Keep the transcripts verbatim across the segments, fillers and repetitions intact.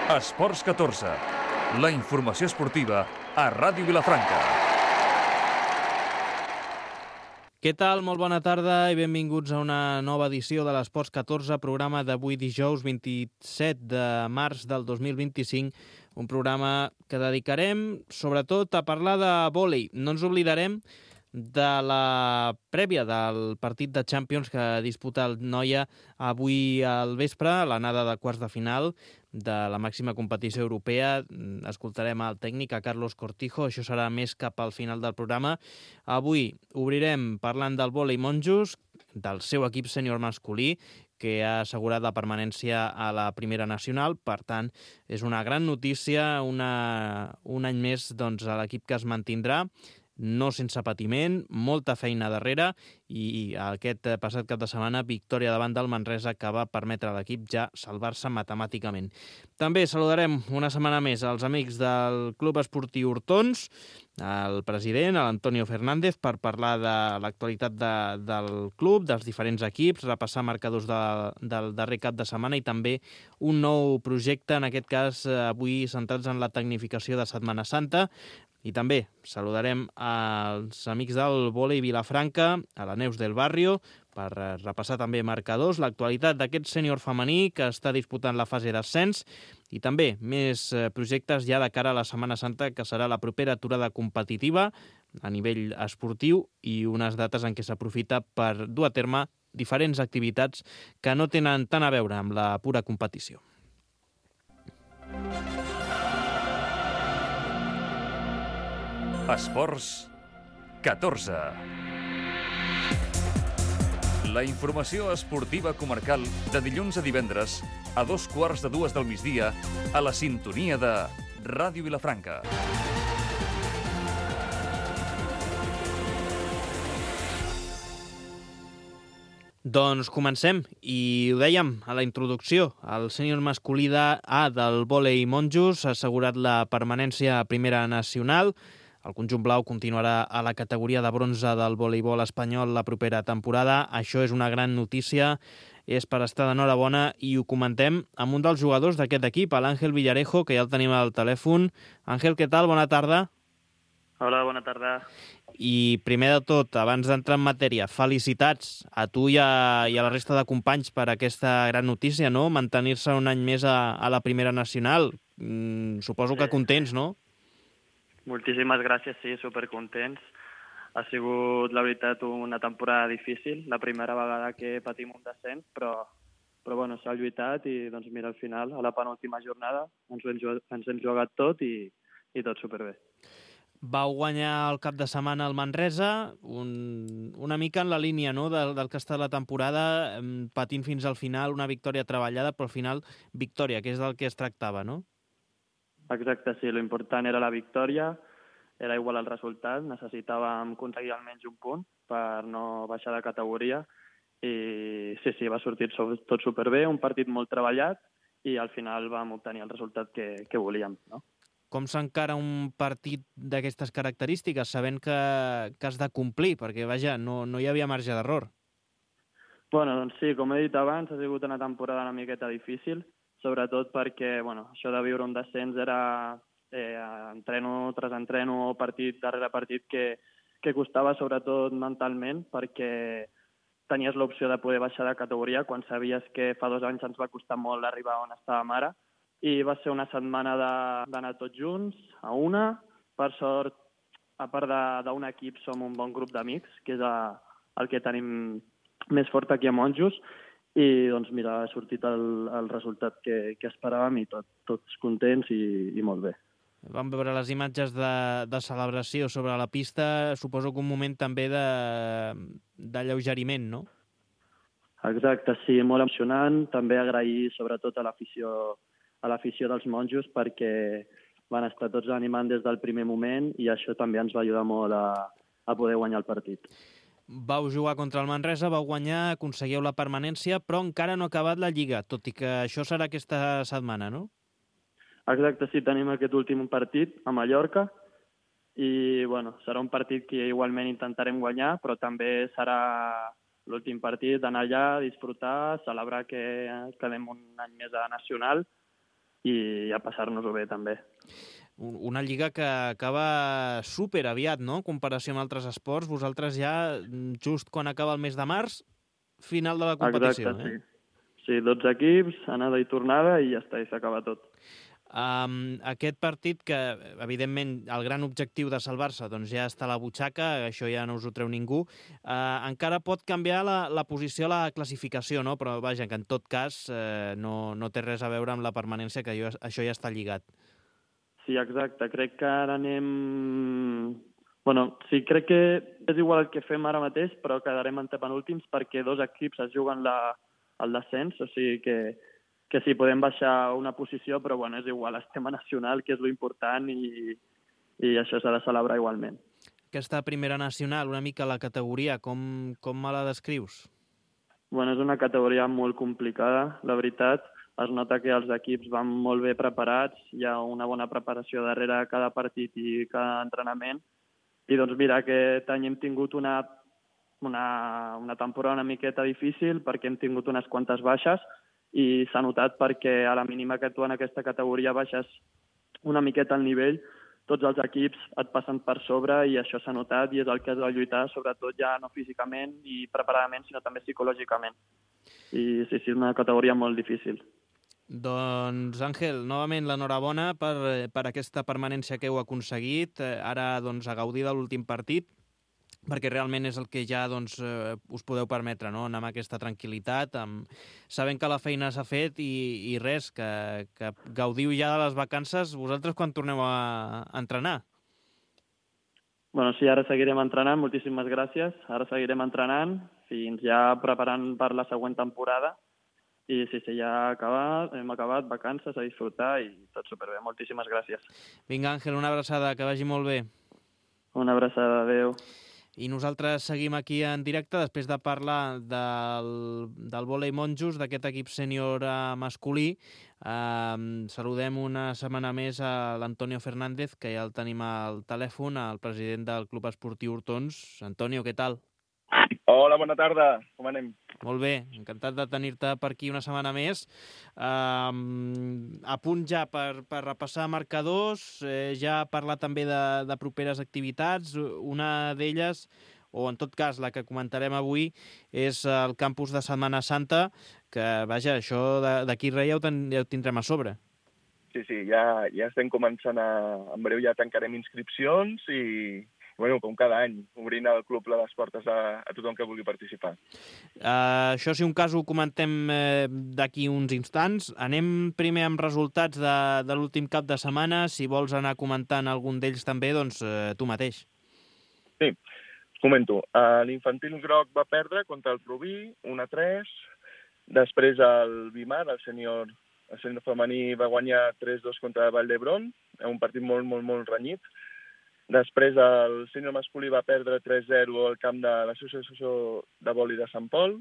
Esports catorze, la informació esportiva a Ràdio Vilafranca. Què tal? Molt bona tarda i benvinguts a una nova edició de l'Esports catorze, programa d'avui dijous vint-i-set de març del dos mil vint-i-cinc, un programa que dedicarem sobretot a parlar de vòlei. No ens oblidarem de la prèvia del partit de Champions que disputa el Noia avui al vespre, l'anada de quarts de final de la màxima competició europea. Escoltarem el tècnic, a Carlos Cortijo, això serà més cap al final del programa. Avui obrirem parlant del vòlei monjos, del seu equip sènior masculí, que ha assegurat la permanència a la primera nacional. Per tant, és una gran notícia, una, un any més doncs, a l'equip que es mantindrà, no sense patiment, molta feina darrere, i aquest passat cap de setmana victòria davant del Manresa que va permetre a l'equip ja salvar-se matemàticament. També saludarem una setmana més als amics del Club Esportiu Hortons, el president, l'Antonio Fernández, per parlar de l'actualitat de, del club, dels diferents equips, repassar marcadors de, del darrer cap de setmana i també un nou projecte, en aquest cas avui centrats en la tecnificació de Setmana Santa. I també saludarem als amics del vòlei Vilafranca, a la Neus del Barrio, per repassar també marcadors, l'actualitat d'aquest sènior femení que està disputant la fase d'ascens i també més projectes ja de cara a la Setmana Santa, que serà la propera aturada competitiva a nivell esportiu i unes dates en què s'aprofita per dur a terme diferents activitats que no tenen tant a veure amb la pura competició. Esports catorze. La informació esportiva comarcal de dilluns a divendres a dos quarts de dues del migdia a la sintonia de Ràdio Vilafranca. Doncs comencem, i ho dèiem a la introducció, el sènior masculí A del vòlei monjos ha assegurat la permanència a primera nacional. El conjunt blau continuarà a la categoria de bronze del voleibol espanyol la propera temporada. Això és una gran notícia, és per estar d'enhorabona i ho comentem amb un dels jugadors d'aquest equip, l'Àngel Villarejo, que ja el tenim al telèfon. Àngel, què tal? Bona tarda. Hola, bona tarda. I primer de tot, abans d'entrar en matèria, felicitats a tu i a, i a la resta de companys per aquesta gran notícia, no? Mantenir-se un any més a, a la primera nacional. Mm, suposo que contents, no? Moltíssimes gràcies, sí, supercontents. Ha sigut, la veritat, una temporada difícil, la primera vegada que patim un descens, però, però bueno, s'ha lluitat i doncs mira, al final, a la penúltima jornada, ens hem, ens hem jugat tot i, i tot superbé. Vau guanyar el cap de setmana al Manresa, un, una mica en la línia, no?, del, del que ha estat la temporada, patint fins al final, una victòria treballada, però al final victòria, que és del que es tractava, no? Exacte, sí, l'important era la victòria, era igual el resultat, necessitàvem aconseguir almenys un punt per no baixar de categoria i sí, sí, va sortir tot superbé, un partit molt treballat i al final vam obtenir el resultat que, que volíem, no? Com s'encara un partit d'aquestes característiques, sabent que, que has de complir, perquè, vaja, no, no hi havia marge d'error? Bueno, doncs sí, com he dit abans, ha sigut una temporada una miqueta difícil, sobretot perquè bueno, això de viure un descens era eh, entreno tras entreno, partit darrere partit, que, que costava sobretot mentalment, perquè tenies l'opció de poder baixar de categoria quan sabies que fa dos anys ens va costar molt arribar on estàvem ara, i va ser una setmana d'anar tots junts, a una. Per sort, a part d'un equip, som un bon grup d'amics, que és a, el que tenim més fort aquí a Monjos, i doncs mira, ha sortit el, el resultat que, que esperàvem i tot, tots contents i, i molt bé. Vam veure les imatges de, de celebració sobre la pista, suposo que un moment també d'alleugeriment, no? Exacte, sí, molt emocionant. També agrair sobretot a l'afició a l'afició dels monjos perquè van estar tots animant des del primer moment i això també ens va ajudar molt a, a poder guanyar el partit. Vau jugar contra el Manresa, vau guanyar, aconseguiu la permanència, però encara no ha acabat la Lliga, tot i que això serà aquesta setmana, no? Exacte, sí, tenim aquest últim partit a Mallorca i bueno, serà un partit que igualment intentarem guanyar, però també serà l'últim partit, d'anar allà, disfrutar, celebrar que quedem un any més a Nacional i a passar-nos-ho bé també. Una lliga que acaba super aviat, no?, en comparació amb altres esports. Vosaltres ja, just quan acaba el mes de març, final de la competició. Exacte, eh? sí. Sí, dotze equips, anada i tornada, i ja està, i s'acaba tot. Um, aquest partit que, evidentment, el gran objectiu de salvar-se doncs ja està a la butxaca, això ja no us ho treu ningú, uh, encara pot canviar la, la posició a la classificació, no? Però vaja, que en tot cas uh, no, no té res a veure amb la permanència, que jo, això ja està lligat. Sí, exacte. Crec que ara anem... Bueno, sí, crec que és igual el que fem ara mateix, però quedarem antepenúltims perquè dos equips es juguen la, el descens, o sigui que, que sí, podem baixar una posició, però bueno, és igual, estem a nacional, que és lo important, i, i això s'ha de celebrar igualment. Aquesta primera nacional, una mica la categoria, com, com me la descrius? Bueno, és una categoria molt complicada, la veritat. Es nota que els equips van molt bé preparats, hi ha una bona preparació darrere cada partit i cada entrenament. I doncs mira, aquest any hem tingut una, una, una temporada una miqueta difícil perquè hem tingut unes quantes baixes i s'ha notat perquè a la mínima que tu en aquesta categoria baixes una miqueta el nivell, tots els equips et passen per sobre i això s'ha notat i és el que has de lluitar, sobretot ja no físicament i preparadament, sinó també psicològicament. I sí, sí, és una categoria molt difícil. Doncs, Àngel, novament l'enhorabona per, per aquesta permanència que heu aconseguit. Ara, doncs, a gaudir de l'últim partit, perquè realment és el que ja doncs, eh, us podeu permetre, no?, anar amb aquesta tranquil·litat, amb... sabent que la feina s'ha fet i, i res, que, que gaudiu ja de les vacances. Vosaltres quan torneu a, a entrenar? Bueno, sí, ara seguirem entrenant, moltíssimes gràcies. Ara seguirem entrenant fins ja preparant per la següent temporada. I sí, sí, ja ha acabat, hem acabat, vacances, a disfrutar i tot superbé. Moltíssimes gràcies. Vinga, Àngel, una abraçada, que vagi molt bé. Una abraçada, adeu. I nosaltres seguim aquí en directe després de parlar del, del vòlei monjos, d'aquest equip sènior masculí. Uh, saludem una setmana més a l'Antonio Fernández, que ja el tenim al telèfon, el president del Club Esportiu Hortons. Antonio, què tal? Hola, bona tarda. Com anem? Molt bé, encantat de tenir-te per aquí una setmana més. Uh, a punt ja per, per repassar marcadors, eh, ja parlar també de, de properes activitats. Una d'elles, o en tot cas la que comentarem avui, és el campus de Setmana Santa, que, vaja, això d'aquí res ja ho, ten, ja ho tindrem a sobre. Sí, sí, ja, ja estem començant a... En breu ja tancarem inscripcions i... Bueno, com cada any, obrint el club les portes a, a tothom que vulgui participar. Uh, això, si un cas, ho comentem eh, d'aquí uns instants. Anem primer amb resultats de, de l'últim cap de setmana. Si vols anar comentant algun d'ells també, doncs eh, tu mateix. Sí, comento. Uh, L'infantil groc va perdre contra el Rubí, un a tres. Després el Bimar, el sènior, el sènior femení, va guanyar tres dos contra Vall d'Hebron, un partit molt, molt, molt renyit. Després el sènior masculí va perdre tres zero al camp de l'Associació de Vòlei de Sant Pol.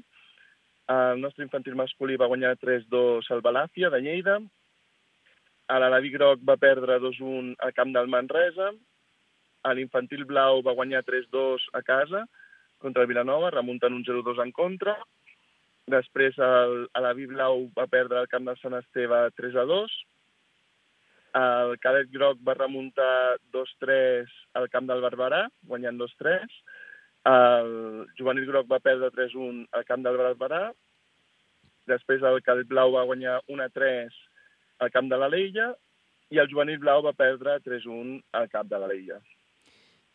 El nostre infantil masculí va guanyar tres dos al Balàfia de Lleida. L'Alaví groc va perdre dos un al camp del Manresa. L'infantil blau va guanyar tres dos a casa contra el Vilanova, remuntant un zero dos en contra. Després l'Alaví blau va perdre al camp del Sant Esteve tres a dos. El cadet groc va remuntar dos tres al camp del Barberà, guanyant dos tres. El juvenil groc va perdre tres un al camp del Barberà. Després el cadet blau va guanyar un a tres al camp de l'Alella i el juvenil blau va perdre tres un al camp de l'Alella.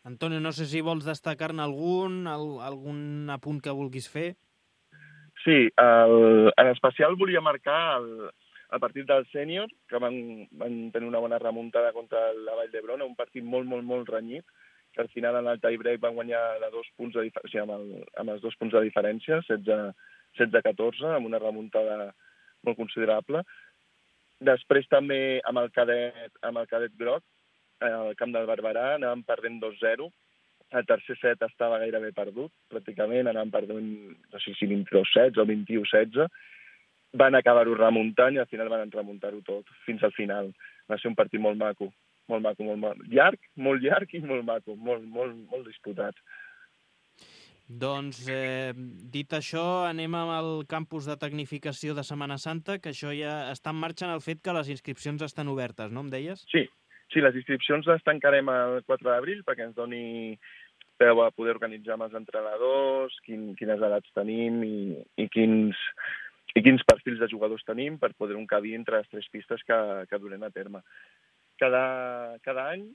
Antonio, no sé si vols destacar-ne algun, algun apunt que vulguis fer. Sí, el, en especial volia marcar el... el partit del sènior, que van, van tenir una bona remuntada contra la Vall d'Hebron, un partit molt, molt, molt renyit, que al final en el tie-break van guanyar de dos punts de diferència, o sigui, amb, el, amb els dos punts de diferència, setze a catorze, amb una remuntada molt considerable. Després també amb el cadet, amb el cadet groc, al camp del Barberà, anàvem perdent dos zero. El tercer set estava gairebé perdut, pràcticament, anàvem perdent, no sé si vint-i-dos setze o vint-i-u setze. Van acabar-ho remuntant i al final van remuntar-ho tot, fins al final. Va ser un partit molt maco, molt maco, molt maco. Llarg, molt llarg i molt maco, molt, molt, molt disputat. Doncs, eh, dit això, anem amb el campus de tecnificació de Setmana Santa, que això ja està en marxa en el fet que les inscripcions estan obertes, no em deies? Sí, sí, les inscripcions les tancarem el quatre d'abril perquè ens doni peu a poder organitzar amb els entrenadors, quin, quines edats tenim i, i, quins, i quins perfils de jugadors tenim per poder encabir entre les tres pistes que, que durem a terme. Cada, cada any,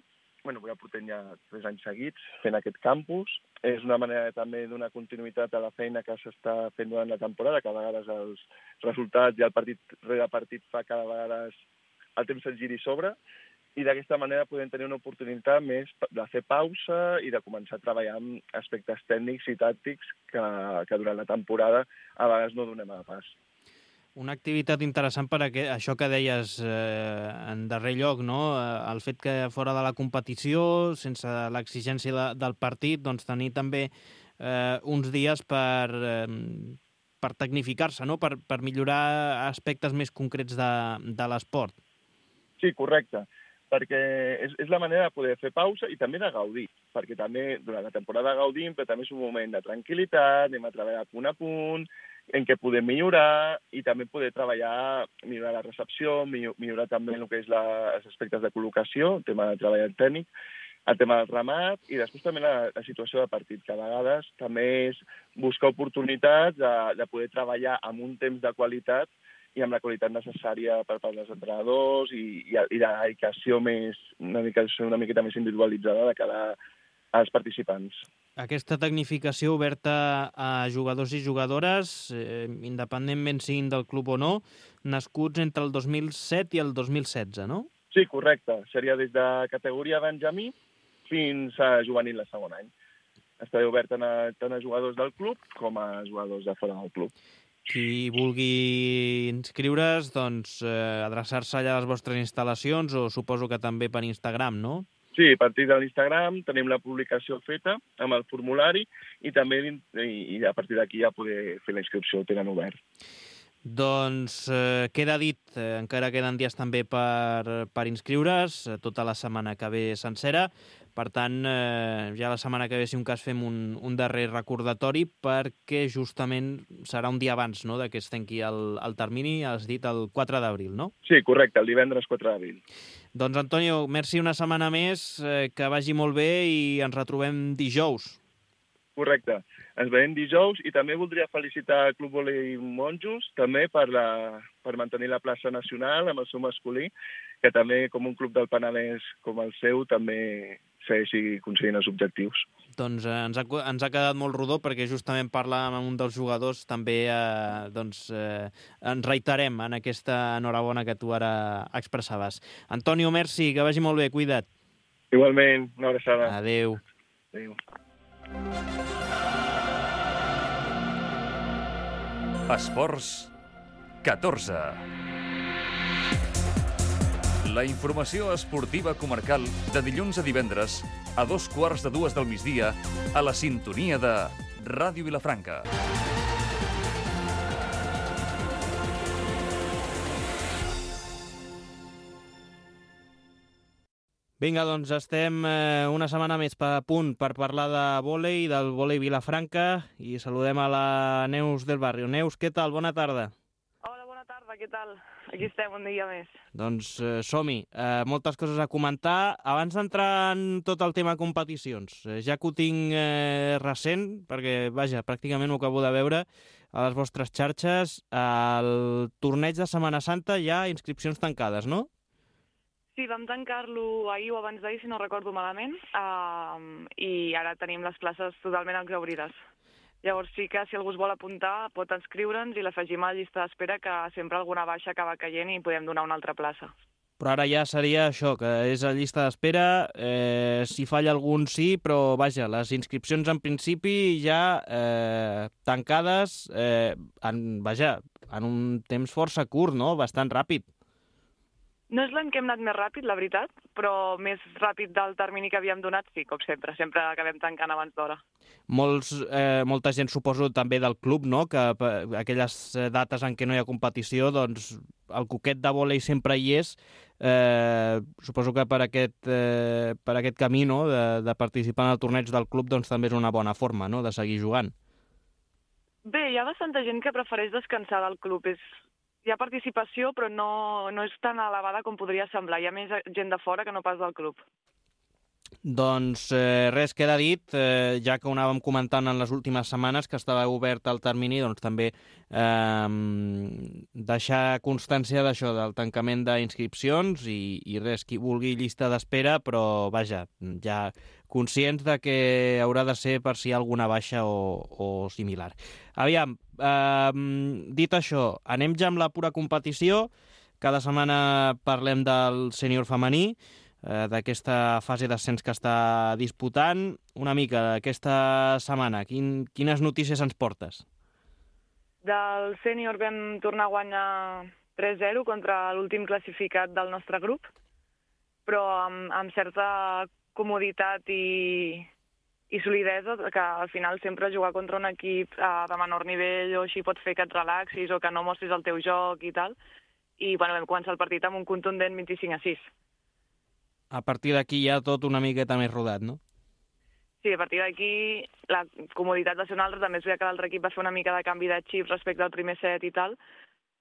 bueno, ja portem ja tres anys seguits fent aquest campus. És una manera també de donar continuïtat a la feina que s'està fent durant la temporada, que a vegades els resultats i el partit rere partit fa que a vegades el temps se'l giri sobre, i d'aquesta manera podem tenir una oportunitat més de fer pausa i de començar a treballar amb aspectes tècnics i tàctics que, que durant la temporada a vegades no donem a pas. Una activitat interessant per a això que deies eh, en darrer lloc, no? El fet que fora de la competició, sense l'exigència de, del partit, doncs tenir també eh, uns dies per, eh, per tecnificar-se, no? Per, per millorar aspectes més concrets de, de l'esport. Sí, correcte, perquè és, és la manera de poder fer pausa i també de gaudir, perquè també durant la temporada gaudim, però també és un moment de tranquil·litat, anem a treballar punt a punt, en què podem millorar i també poder treballar, millorar la recepció, millorar també el que és la, els aspectes de col·locació, el tema de treball tècnic, el tema del ramat i després també la, la situació de partit, que a vegades també és buscar oportunitats de, de poder treballar amb un temps de qualitat i amb la qualitat necessària per part dels entrenadors i, i, i la dedicació més, una, mica, una miqueta més individualitzada de cada als participants. Aquesta tecnificació oberta a jugadors i jugadores, eh, independentment siguin del club o no, nascuts entre el dos mil set i el dos mil setze, no? Sí, correcte. Seria des de categoria Benjamí fins a juvenil de segon any. Estarà obert tant a, tant a jugadors del club com a jugadors de fora del club. Qui vulgui inscriure's, doncs, eh, adreçar-se allà a les vostres instal·lacions o suposo que també per Instagram, no? Sí, a partir de l'Instagram tenim la publicació feta amb el formulari i també i, i a partir d'aquí ja poder fer la inscripció, ho tenen obert. Doncs eh, queda dit, eh, encara queden dies també per, per inscriure's, eh, tota la setmana que ve sencera. Per tant, eh, ja la setmana que ve, si un cas, fem un, un darrer recordatori perquè justament serà un dia abans, no?, de que es tanqui el, el termini, has dit el quatre d'abril, no? Sí, correcte, el divendres quatre d'abril. Doncs, Antonio, merci una setmana més, eh, que vagi molt bé i ens retrobem dijous. Correcte. Ens veiem dijous i també voldria felicitar el Club Volei Monjos també per, la, per mantenir la plaça nacional amb el seu masculí, que també, com un club del Penedès com el seu, també segueixi aconseguint els objectius. Doncs eh, ens, ha, ens ha quedat molt rodó perquè justament parlàvem amb un dels jugadors, també eh, doncs, eh, ens reiterem en aquesta enhorabona que tu ara expressaves. Antonio, merci, que vagi molt bé, cuida't. Igualment, una abraçada. Adéu. Adéu. Esports catorze. La informació esportiva comarcal de dilluns a divendres a dos quarts de dues del migdia a la sintonia de Ràdio Vilafranca. Vinga, doncs estem eh, una setmana més a punt per parlar de vòlei, del vòlei Vilafranca, i saludem a la Neus del Barrio. Neus, què tal? Bona tarda. Hola, bona tarda, què tal? Aquí estem, un dia més. Doncs eh, som-hi. Eh, moltes coses a comentar. Abans d'entrar en tot el tema competicions, eh, ja que ho tinc eh, recent, perquè, vaja, pràcticament ho acabo de veure a les vostres xarxes, el torneig de Setmana Santa hi ha inscripcions tancades, no? Sí, vam tancar-lo ahir o abans d'ahir, si no recordo malament, uh, i ara tenim les places totalment exaurides. Llavors sí que si algú es vol apuntar pot inscriure'ns i l'afegim a la llista d'espera, que sempre alguna baixa acaba caient i podem donar una altra plaça. Però ara ja seria això, que és a llista d'espera, eh, si falla algun sí, però vaja, les inscripcions en principi ja eh, tancades, eh, en, vaja, en un temps força curt, no? Bastant ràpid. No és l'any que hem anat més ràpid, la veritat, però més ràpid del termini que havíem donat, sí, com sempre. Sempre acabem tancant abans d'hora. Molts, eh, molta gent, suposo, també del club, no?, que aquelles dates en què no hi ha competició, doncs, el coquet de vòlei sempre hi és. Eh, suposo que per aquest, eh, per aquest camí, no?, de, de participar en el torneig del club, doncs també és una bona forma, no?, de seguir jugant. Bé, hi ha bastanta gent que prefereix descansar del club. És... Hi ha participació, però no, no és tan elevada com podria semblar. Hi ha més gent de fora que no pas del club. Doncs eh, res, queda dit, eh, ja que ho anàvem comentant en les últimes setmanes que estava obert el termini, doncs també eh, deixar constància d'això, del tancament d'inscripcions i, i res, qui vulgui llista d'espera, però vaja, ja conscients de que haurà de ser per si hi ha alguna baixa o, o similar. Aviam, eh, dit això, anem ja amb la pura competició. Cada setmana parlem del sènior femení, d'aquesta fase d'ascens que està disputant. Una mica, aquesta setmana, quin, quines notícies ens portes? Del sènior vam tornar a guanyar tres zero contra l'últim classificat del nostre grup, però amb, amb certa comoditat i, i solidesa, que al final sempre jugar contra un equip eh, de menor nivell o així pot fer que et relaxis o que no mostris el teu joc i tal. I bueno, vam començar el partit amb un contundent vint-i-cinc a sis. A partir d'aquí ja tot una miqueta més rodat, no? Sí, a partir d'aquí la comoditat va ser una altra, també es veia que l'altre equip va fer una mica de canvi de xip respecte al primer set i tal,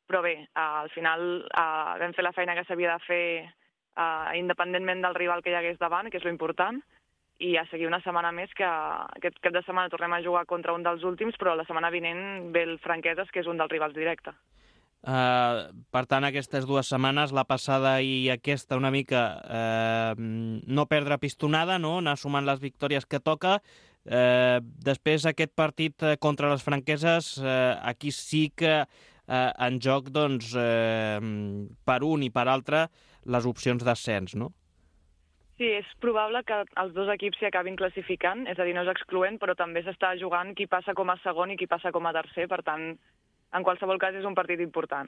però bé, eh, al final eh, vam fer la feina que s'havia de fer eh, independentment del rival que hi hagués davant, que és lo important, i a seguir una setmana més, que aquest cap de setmana tornem a jugar contra un dels últims, però la setmana vinent ve el Franqueses, que és un dels rivals directe. Uh, per tant, aquestes dues setmanes, la passada i aquesta, una mica uh, no perdre pistonada, no? Anar sumant les victòries que toca. Uh, després, aquest partit contra les franqueses, uh, aquí sí que uh, en joc, doncs, uh, per un i per altre, les opcions d'ascens, no? Sí, és probable que els dos equips s'hi acabin classificant, és a dir, no és excloent, però també s'està jugant qui passa com a segon i qui passa com a tercer, per tant, en qualsevol cas és un partit important.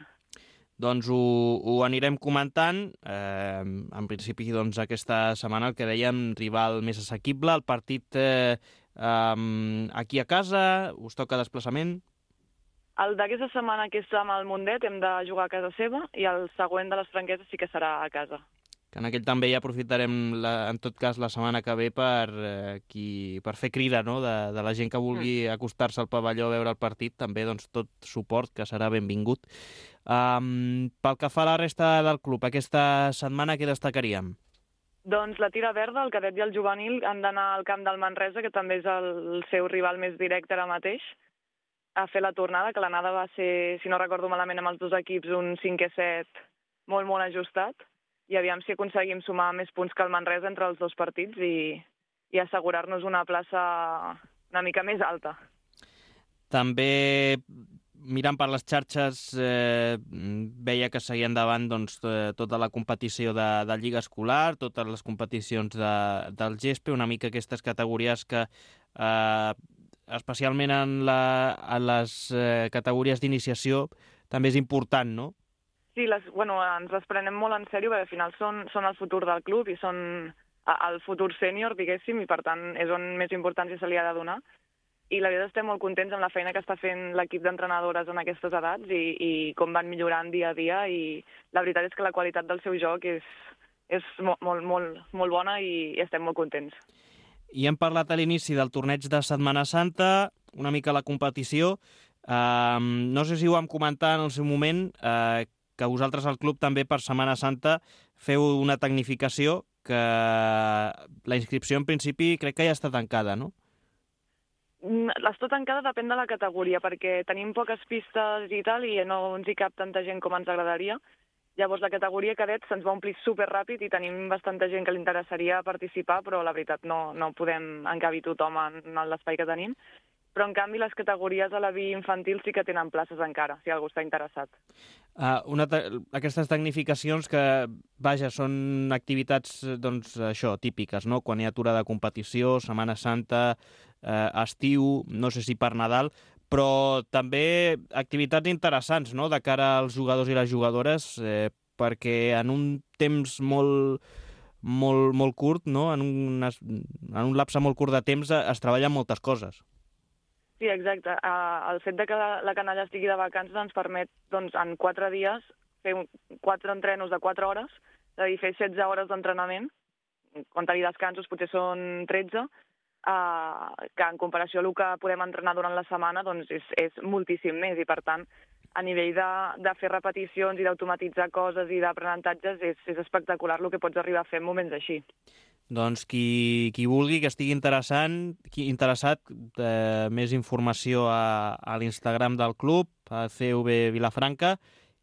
Doncs ho, ho anirem comentant. Eh, en principi, doncs, aquesta setmana el que dèiem, rival més assequible, el partit eh, eh, aquí a casa, us toca desplaçament? El d'aquesta setmana, que és amb el Mundet, hem de jugar a casa seva, i el següent de les Franqueses sí que serà a casa. Que en aquell també ja aprofitarem, la, en tot cas, la setmana que ve per, eh, qui, per fer crida, no?, de, de la gent que vulgui acostar-se al pavelló a veure el partit, també doncs, tot suport, que serà benvingut. Um, pel que fa a la resta del club, aquesta setmana què destacaríem? Doncs la tira verda, el cadet i el juvenil han d'anar al camp del Manresa, que també és el seu rival més directe ara mateix, a fer la tornada, que l'anada va ser, si no recordo malament, amb els dos equips, un cinquè set molt, molt ajustat, i aviam si aconseguim sumar més punts que el Manresa entre els dos partits i, i assegurar-nos una plaça una mica més alta. També, mirant per les xarxes, eh, veia que seguia endavant doncs, tota la competició de, de Lliga Escolar, totes les competicions de, del G E S P, una mica aquestes categories que, eh, especialment en, la, en les eh, categories d'iniciació, també és important, no? Sí, les, bueno, ens les prenem molt en sèrio, perquè al final són, són el futur del club i són el futur sènior, diguéssim, i per tant és on més importància se li ha de donar. I la veritat estem molt contents amb la feina que està fent l'equip d'entrenadores en aquestes edats i, i com van millorant dia a dia, i la veritat és que la qualitat del seu joc és, és molt, molt, molt, molt bona i, i estem molt contents. I hem parlat a l'inici del torneig de Setmana Santa, una mica la competició. Uh, no sé si ho vam comentar en el seu moment, uh, que vosaltres al club també per Setmana Santa feu una tecnificació que la inscripció en principi crec que ja està tancada, no? L'està tancada depèn de la categoria, perquè tenim poques pistes i tal, i no ens hi cap tanta gent com ens agradaria. Llavors la categoria cadet se'ns va omplir superràpid i tenim bastanta gent que li interessaria participar, però la veritat no, no podem encabir tothom en l'espai que tenim. Però, en canvi, les categories a la B infantil sí que tenen places encara, si algú està interessat. Uh, una te aquestes tecnificacions que, vaja, són activitats, doncs, això, típiques, no? Quan hi ha aturada de competició, Setmana Santa, eh, estiu, no sé si per Nadal, però també activitats interessants, no?, de cara als jugadors i les jugadores, eh, perquè en un temps molt, molt, molt curt, no?, en un, en un lapse molt curt de temps es treballen moltes coses. Sí, exacte. Uh, el fet de que la canalla estigui de vacances ens permet, doncs, en quatre dies fer quatre entrenos de quatre hores, és a dir, fer setze hores d'entrenament, comptant-hi descansos potser són tretze, eh, que en comparació al que podem entrenar durant la setmana doncs és, és moltíssim més, i per tant a nivell de, de fer repeticions i d'automatitzar coses i d'aprenentatges és, és espectacular el que pots arribar a fer en moments així. Doncs qui, qui vulgui, que estigui interessant, qui interessat, eh, més informació a, a l'Instagram del club, a C V Vilafranca,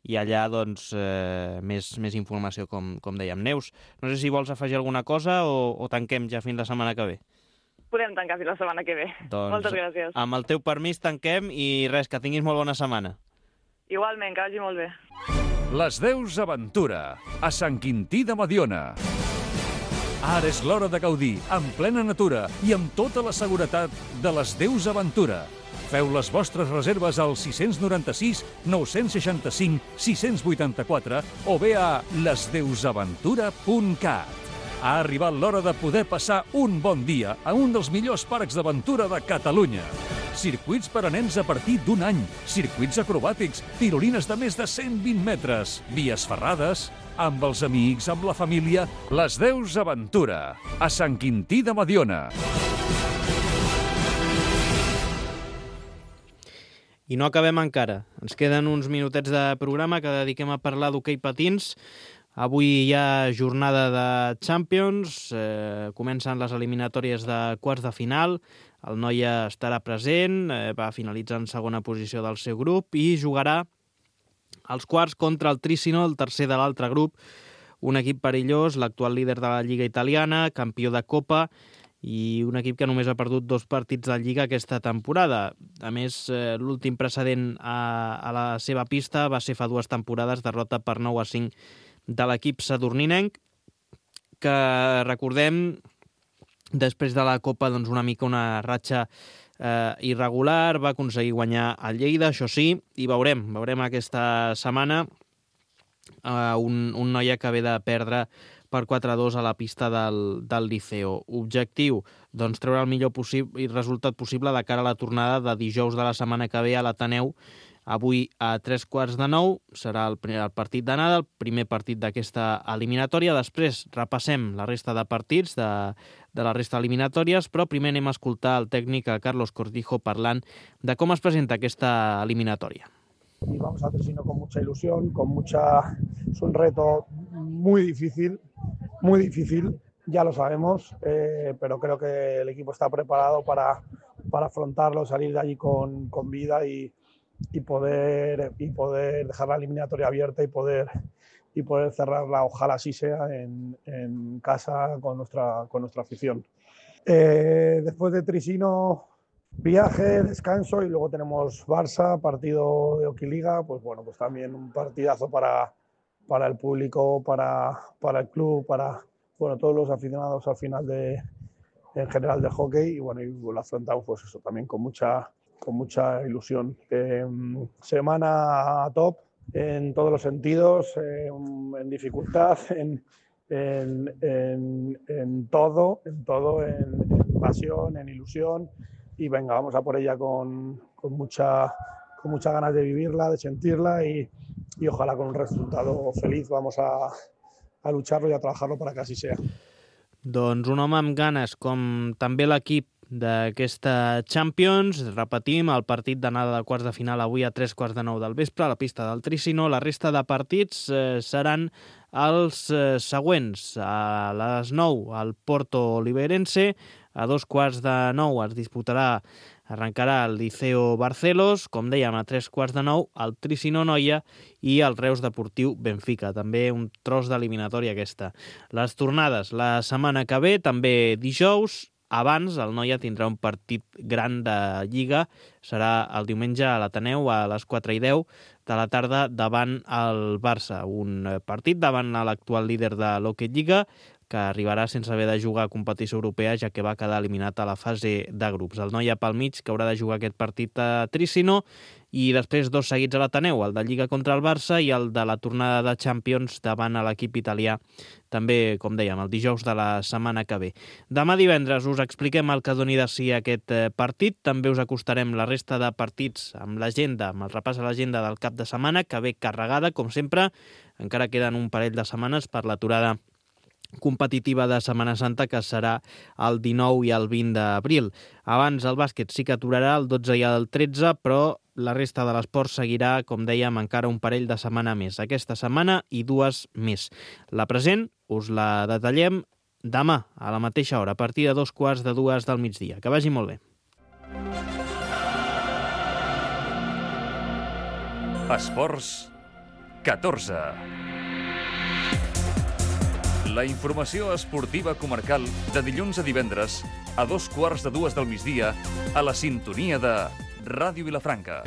i allà doncs, eh, més, més informació, com, com dèiem. Neus, no sé si vols afegir alguna cosa o, o tanquem ja fins la setmana que ve. Podem tancar fins la setmana que ve. Doncs, moltes gràcies. Amb el teu permís tanquem i res, que tinguis molt bona setmana. Igualment, que vagi molt bé. Les Deus Aventura, a Sant Quintí de Mediona. Ara és l'hora de gaudir, en plena natura i amb tota la seguretat de les Deus Aventura. Feu les vostres reserves al sis nou sis, nou sis cinc, sis vuit quatre o bé a les deus aventura punt cat. Ha arribat l'hora de poder passar un bon dia a un dels millors parcs d'aventura de Catalunya. Circuits per a nens a partir d'un any, circuits acrobàtics, tirolines de més de cent vint metres, vies ferrades, amb els amics, amb la família, les Deus Aventura, a Sant Quintí de Mediona. I no acabem encara. Ens queden uns minutets de programa que dediquem a parlar d'hoquei patins. Avui hi ha jornada de Champions, eh, comencen les eliminatòries de quarts de final, el Noia estarà present, eh, va finalitzar en segona posició del seu grup i jugarà els quarts contra el Trissino, el tercer de l'altre grup, un equip perillós, l'actual líder de la Lliga italiana, campió de Copa, i un equip que només ha perdut dos partits de Lliga aquesta temporada. A més, eh, l'últim precedent a, a la seva pista va ser fa dues temporades, derrota per nou a cinc de l'equip sadurninenc, que recordem, després de la Copa, doncs una mica una ratxa eh, irregular, va aconseguir guanyar el Lleida, això sí, i veurem, veurem aquesta setmana eh, un, un Noia que ve de perdre per quatre a dos a la pista del, del Liceo. Objectiu, doncs treure el millor possible i resultat possible de cara a la tornada de dijous de la setmana que ve a l'Ateneu. Avui a tres quarts de nou serà el, primer, el partit d'anada, el primer partit d'aquesta eliminatòria. Després repassem la resta de partits de, de la resta eliminatòries, però primer anem a escoltar el tècnic Carlos Cortijo parlant de com es presenta aquesta eliminatòria. Y vamos a Trissino con mucha ilusión, con mucha... Es un reto muy difícil, muy difícil, ya lo sabemos, eh, pero creo que el equipo está preparado para, para afrontarlo, salir de allí con, con vida y y poder y poder dejar la eliminatoria abierta y poder y poder cerrarla, ojalá así sea, en, en casa con nuestra con nuestra afición. Eh, después de Trissino, viaje, descanso y luego tenemos Barça, partido de Hockey Liga, pues bueno, pues también un partidazo para para el público, para para el club, para bueno, todos los aficionados al final de en general del hockey, y bueno, y lo afrontamos pues eso también con mucha con mucha ilusión. Eh, semana top en todos los sentidos, eh, en dificultad, en, en, en, en todo, en todo, en, en pasión, en ilusión, y venga, vamos a por ella con, con mucha con muchas ganas de vivirla, de sentirla y, y ojalá con un resultado feliz. Vamos a, a lucharlo y a trabajarlo para que así sea. Doncs un home amb ganes, com també l'equip d'aquesta Champions. Repetim, el partit d'anada de quarts de final avui a tres quarts de nou del vespre a la pista del Trissino. La resta de partits eh, seran els eh, següents. A les nou el Porto Oliveirense, a dos quarts de nou es disputarà, arrencarà el Liceo Barcelos, com dèiem, a tres quarts de nou el Trissino Noia i el Reus Deportiu Benfica. També un tros d'eliminatòria aquesta. Les tornades la setmana que ve, també dijous. Abans, el Noia tindrà un partit gran de Lliga, serà el diumenge a l'Ateneu a les quatre i deu de la tarda davant el Barça. Un partit davant l'actual líder de l'Hockey Lliga, que arribarà sense haver de jugar a competició europea, ja que va quedar eliminat a la fase de grups. El Noia pel mig, que haurà de jugar aquest partit a Tricino, i després dos seguits a l'Ateneu, el de Lliga contra el Barça i el de la tornada de Champions davant a l'equip italià, també, com dèiem, el dijous de la setmana que ve. Demà divendres us expliquem el que doni de si aquest partit, també us acostarem la resta de partits amb l'agenda, amb el repàs a l'agenda del cap de setmana, que ve carregada, com sempre, encara queden un parell de setmanes per l'aturada competitiva de Setmana Santa, que serà el dinou i el vint d'abril. Abans el bàsquet sí que aturarà el dotze i el tretze, però la resta de l'esport seguirà, com dèiem, encara un parell de setmana més. Aquesta setmana i dues més. La present us la detallem demà, a la mateixa hora, a partir de dos quarts de dues del migdia. Que vagi molt bé. Esports catorze. La informació esportiva comarcal de dilluns a divendres a dos quarts de dues del migdia a la sintonia de Ràdio Vilafranca.